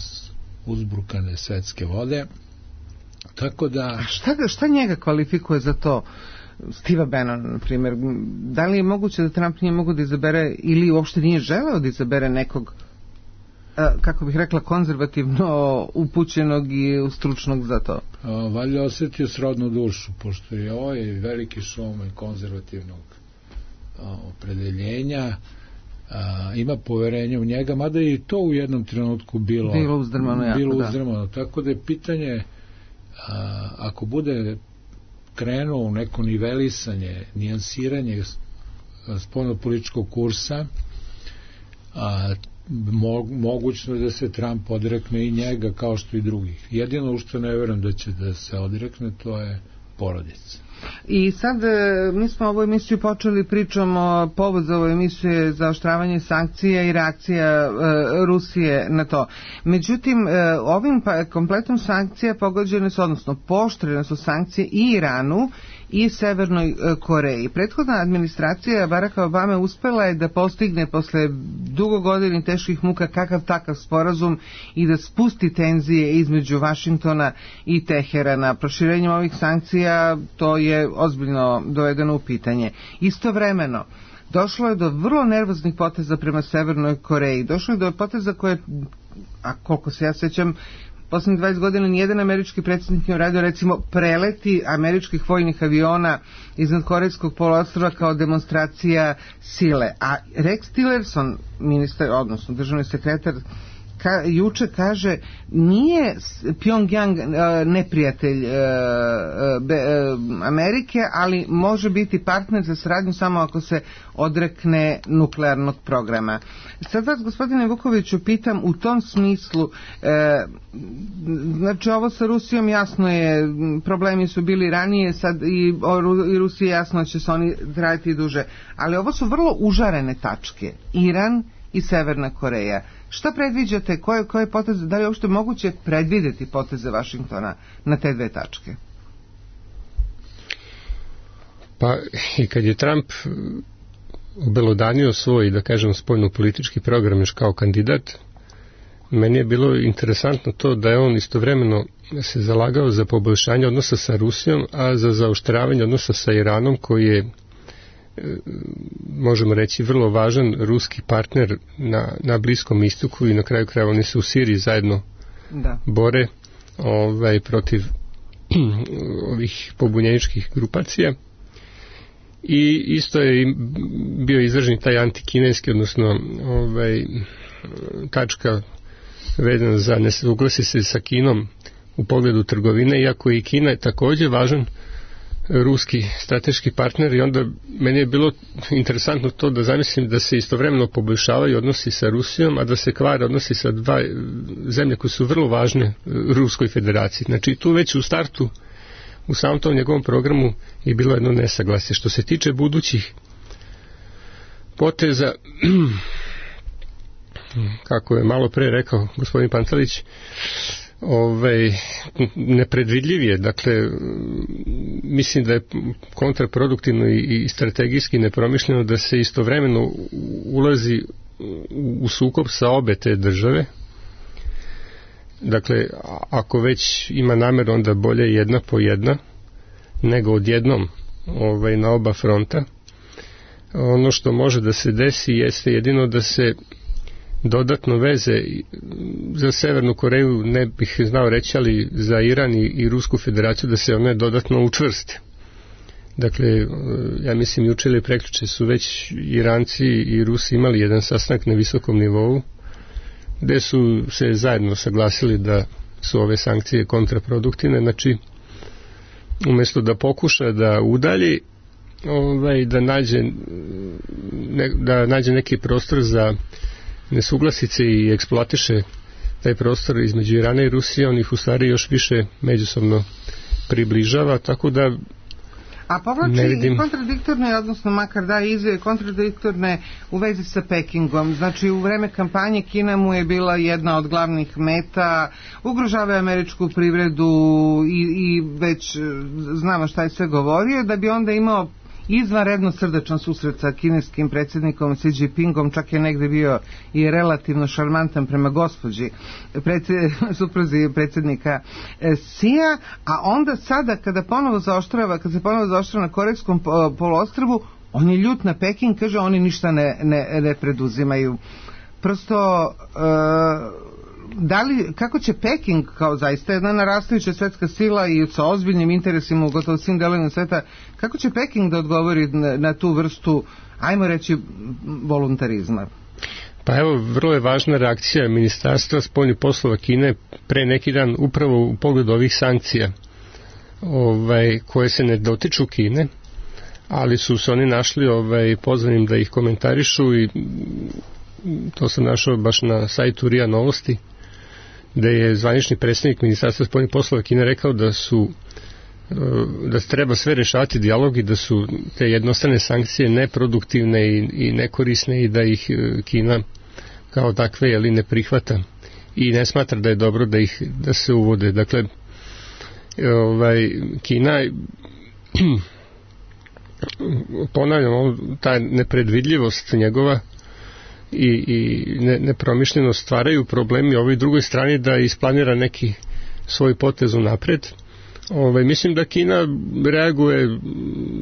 uzbrukane svetske vode. Tako da... Šta njega kvalifikuje za to? Steva Bannon, na primjer, da li je moguće da Trump nije mogao da izabere ili uopšte nije želeo da izabere nekog, kako bih rekla, konzervativno upućenog i stručnog za to? Valjda osjetio srodnu dušu, pošto je ovaj veliki šouman konzervativnog opredeljenja, ima poverenje u njega, mada je i to u jednom trenutku bilo uzdrmano. Tako da je pitanje, ako bude krenuo u neko nivelisanje, nijansiranje spoljnopolitičkog kursa, mogućno da se Trump odrekne i njega kao što i drugih. Jedino što ne verujem da će da se odrekne, to je porodica. I sad mi smo ovu emisiju počeli pričom o povod za ovu emisiju za oštravanje sankcija i reakcija Rusije na to. Međutim, ovim kompletom sankcija pogođene su, odnosno pooštrene su sankcije i Iranu i Severnoj Koreji. Prethodna administracija Baracka Obame uspela je da postigne posle dugo godina teških muka kakav takav sporazum i da spusti tenzije između Vašingtona i Teherana. Proširenjem ovih sankcija to je ozbiljno dovedeno u pitanje. Istovremeno, došlo je do vrlo nervoznih poteza prema Severnoj Koreji. Došlo je do poteza koje, a koliko se ja sećam, poslednjih 20 godina nijedan američki predsjednik nije uradio, recimo, preleti američkih vojnih aviona iznad Korejskog poluostrva kao demonstracija sile. A Rex Tillerson, ministar, odnosno državni sekretar, juče kaže, nije Pyongyang neprijatelj Amerike, ali može biti partner za saradnju samo ako se odrekne nuklearnog programa. Sad vas, gospodine Vukoviću, pitam u tom smislu, znači ovo sa Rusijom jasno je, problemi su bili ranije, sad i Rusiji jasno će se oni trajati duže, ali ovo su vrlo užarene tačke, Iran i Severna Koreja. Šta predviđate, koje poteze, da li je uopšte moguće predvideti poteze Vašingtona na te dve tačke? Pa i kad je Trump obelodanio svoj, da kažem, spoljno-politički program još kao kandidat, meni je bilo interesantno to da je on istovremeno se zalagao za poboljšanje odnosa sa Rusijom, a za zaoštravanje odnosa sa Iranom, koji je, možemo reći, vrlo važan ruski partner na Bliskom istoku i na kraju krajeva oni se u Siriji zajedno bore protiv ovih pobunjeničkih grupacija. I isto je bio izražen taj antikineski, odnosno tačka vezana za nesuglasi se sa Kinom u pogledu trgovine, iako i Kina je također važan ruski strateški partner, i onda meni je bilo interesantno to da zamislim da se istovremeno poboljšavaju odnosi sa Rusijom, a da se kvare odnosi sa dva zemlje koje su vrlo važne Ruskoj federaciji. Znači tu već u startu, u samom tom njegovom programu je bilo jedno nesaglasje. Što se tiče budućih poteza, kako je malo pre rekao gospodin Pantelić, nepredvidljiv je, dakle mislim da je kontraproduktivno i strategijski nepromišljeno da se istovremeno ulazi u sukob sa obe te države. Dakle, ako već ima nameru, onda bolje jedna po jedna nego odjednom na oba fronta. Ono što može da se desi jeste jedino da se dodatno veze za Severnu Koreju, ne bih znao reći, ali za Iran i Rusku federaciju da se one dodatno učvrste. Dakle, ja mislim juče ili prekjuče su već Iranci i Rusi imali jedan sastanak na visokom nivou gde su se zajedno saglasili da su ove sankcije kontraproduktivne. Znači, umjesto da pokuša da udalji, da nađe neki prostor za nesuglasice i eksploatiše taj prostor između Irana i Rusije, on ih u stvari još više međusobno približava, tako da a povlači i kontradiktorne, odnosno makar da izve kontradiktorne u vezi sa Pekingom. Znači u vreme kampanje Kina mu je bila jedna od glavnih meta, ugrožava američku privredu i već znamo šta je sve govorio, da bi onda imao izvanredno srdečan susret sa kineskim predsjednikom Xi Jinpingom, čak je negde bio i relativno šarmantan prema gospođi supruzi predsjednika Xija, a onda sada kada se ponovo zaoštrava na Korejskom poluostrvu, on je ljut na Peking, kaže oni ništa ne preduzimaju. Prosto kako će Peking, kao zaista jedna narastajuća svetska sila i sa ozbiljnim interesima u gotovo svim delovima sveta, kako će Peking da odgovori na tu vrstu, ajmo reći, voluntarizma? Pa evo, vrlo je važna reakcija Ministarstva spoljnih poslova Kine pre neki dan upravo u pogledu ovih sankcija koje se ne dotiču Kine, ali su se oni našli pozvanim da ih komentarišu, i to sam našao baš na sajtu RIA Novosti, gde je zvanični predstavnik Ministarstva spoljnih poslova Kine rekao da su da treba sve rešavati dijalog i da su te jednostrane sankcije neproduktivne i nekorisne i da ih Kina kao takve ne prihvata i ne smatra da je dobro da se uvode. Dakle, Kina, ponavljam, ta nepredvidljivost njegova i nepromišljenost stvaraju problemi ovoj drugoj strani da isplanira neki svoj potez unapred. Mislim da Kina reaguje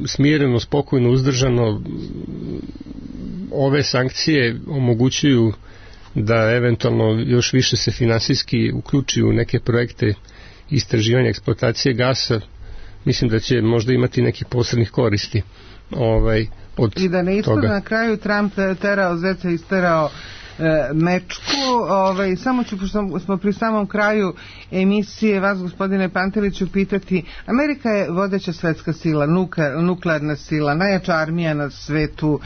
smireno, spokojno, uzdržano. Ove sankcije omogućuju da eventualno još više se finansijski uključi u neke projekte istraživanja eksploatacije gasa. Mislim da će možda imati neki posrednih koristi od i da ne ispada toga. Na kraju Trump terao zeca, isterao mečku. Samo ću, pošto smo pri samom kraju emisije, vas, gospodine Panteliću, pitati, Amerika je vodeća svetska sila, nuklearna sila, najjača armija na svetu,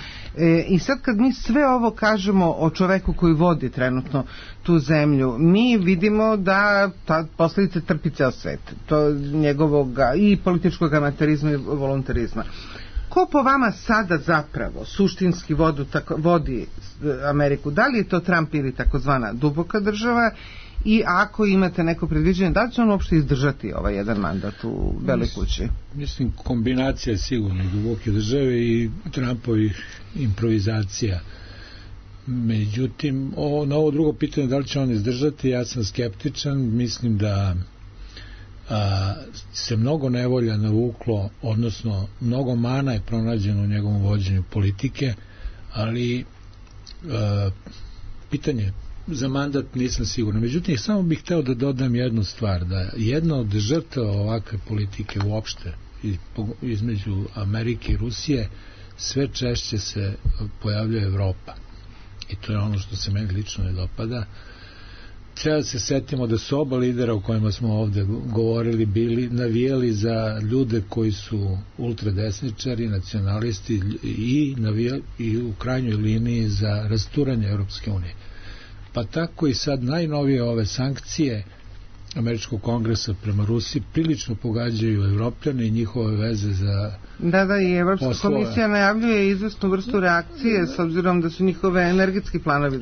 i sad kad mi sve ovo kažemo o čoveku koji vodi trenutno tu zemlju, mi vidimo da ta posljedice trpi ceo svet, to njegovog i političkog amaterizma i voluntarizma. Ko po vama sada zapravo suštinski vodi Ameriku? Da li je to Trump ili takozvana duboka država? I ako imate neko predviđenje, da li će on uopšte izdržati ovaj jedan mandat u Beloj kući? Mislim, kombinacija je sigurno duboke države i Trumpovih improvizacija. Međutim, na ovo drugo pitanje, da li će on izdržati, ja sam skeptičan. Mislim da se mnogo nevolja navuklo, odnosno mnogo mana je pronađeno u njegovom vođenju politike, ali pitanje za mandat nisam siguran. Međutim, samo bih hteo da dodam jednu stvar, da jedna od žrtava ovakve politike uopšte između Amerike i Rusije sve češće se pojavljuje Evropa, i to je ono što se meni lično ne dopada. Treba da se setimo da su oba lidera o kojima smo ovde govorili bili navijali za ljude koji su ultradesničari, nacionalisti i u krajnjoj liniji za rasturanje Europske unije. Pa tako i sad najnovije ove sankcije Američkog kongresa prema Rusiji prilično pogađaju Evropljane i njihove veze za i Evropska komisija najavljuje izvesnu vrstu reakcije s obzirom da su njihove energetski planovi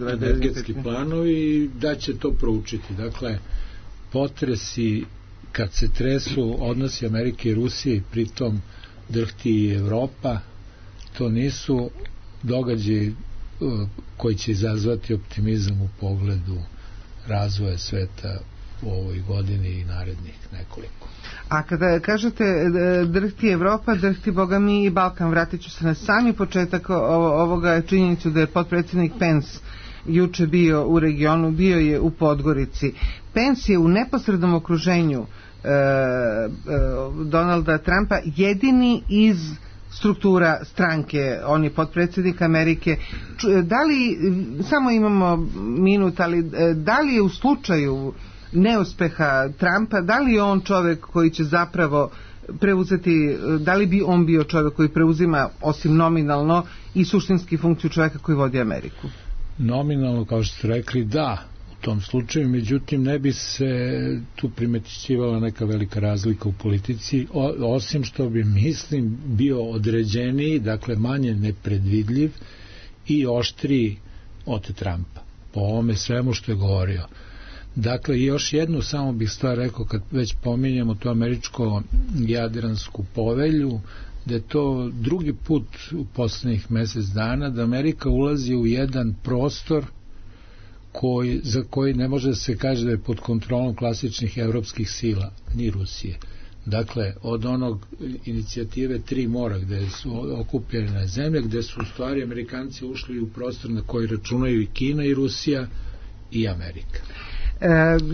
planovi da će to proučiti. Dakle, potresi kad se tresu odnosi Amerike i Rusije i pritom drhti i Evropa, to nisu događaji koji će izazvati optimizam u pogledu razvoja sveta u ovoj godini i narednih nekoliko. A kada kažete drhti Evropa, drhti Boga mi i Balkan, vratit ću se na sami početak ovoga činjenicu da je potpredsjednik Pence juče bio u regionu, bio je u Podgorici. Pence je u neposrednom okruženju Donalda Trumpa jedini iz struktura stranke, on je potpredsjednik Amerike. Da li, samo imamo minut, ali da li je u slučaju neuspeha Trumpa, da li je on čovjek koji će zapravo preuzeti, da li bi on bio čovjek koji preuzima osim nominalno i suštinski funkciju čovjeka koji vodi Ameriku? Nominalno, kao što ste rekli, da, u tom slučaju, međutim ne bi se tu primetićivala neka velika razlika u politici, osim što bi, mislim, bio određeniji, dakle manje nepredvidljiv i oštriji od Trumpa po ovome svemu što je govorio. Dakle, još jednu samo bih stvar rekao, kad već pominjamo tu američko-jadransku povelju, da je to drugi put u poslednjih mesec dana da Amerika ulazi u jedan prostor za koji ne može da se kaže da je pod kontrolom klasičnih evropskih sila, ni Rusije. Dakle, od onog inicijative Tri mora, gde su okupljene zemlje, gde su u stvari Amerikanci ušli u prostor na koji računaju i Kina i Rusija i Amerika.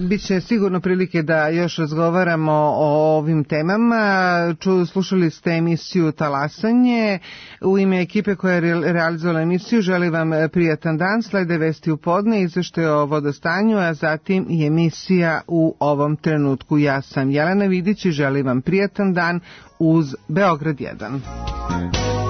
Biće sigurno prilike da još razgovaramo o ovim temama. Slušali ste emisiju Talasanje. U ime ekipe koja je realizovala emisiju želim vam prijatan dan. Slede vesti u podne, izveštaj o vodostanju, a zatim i emisija U ovom trenutku. Ja sam Jelena Vidić i želim vam prijatan dan uz Beograd 1.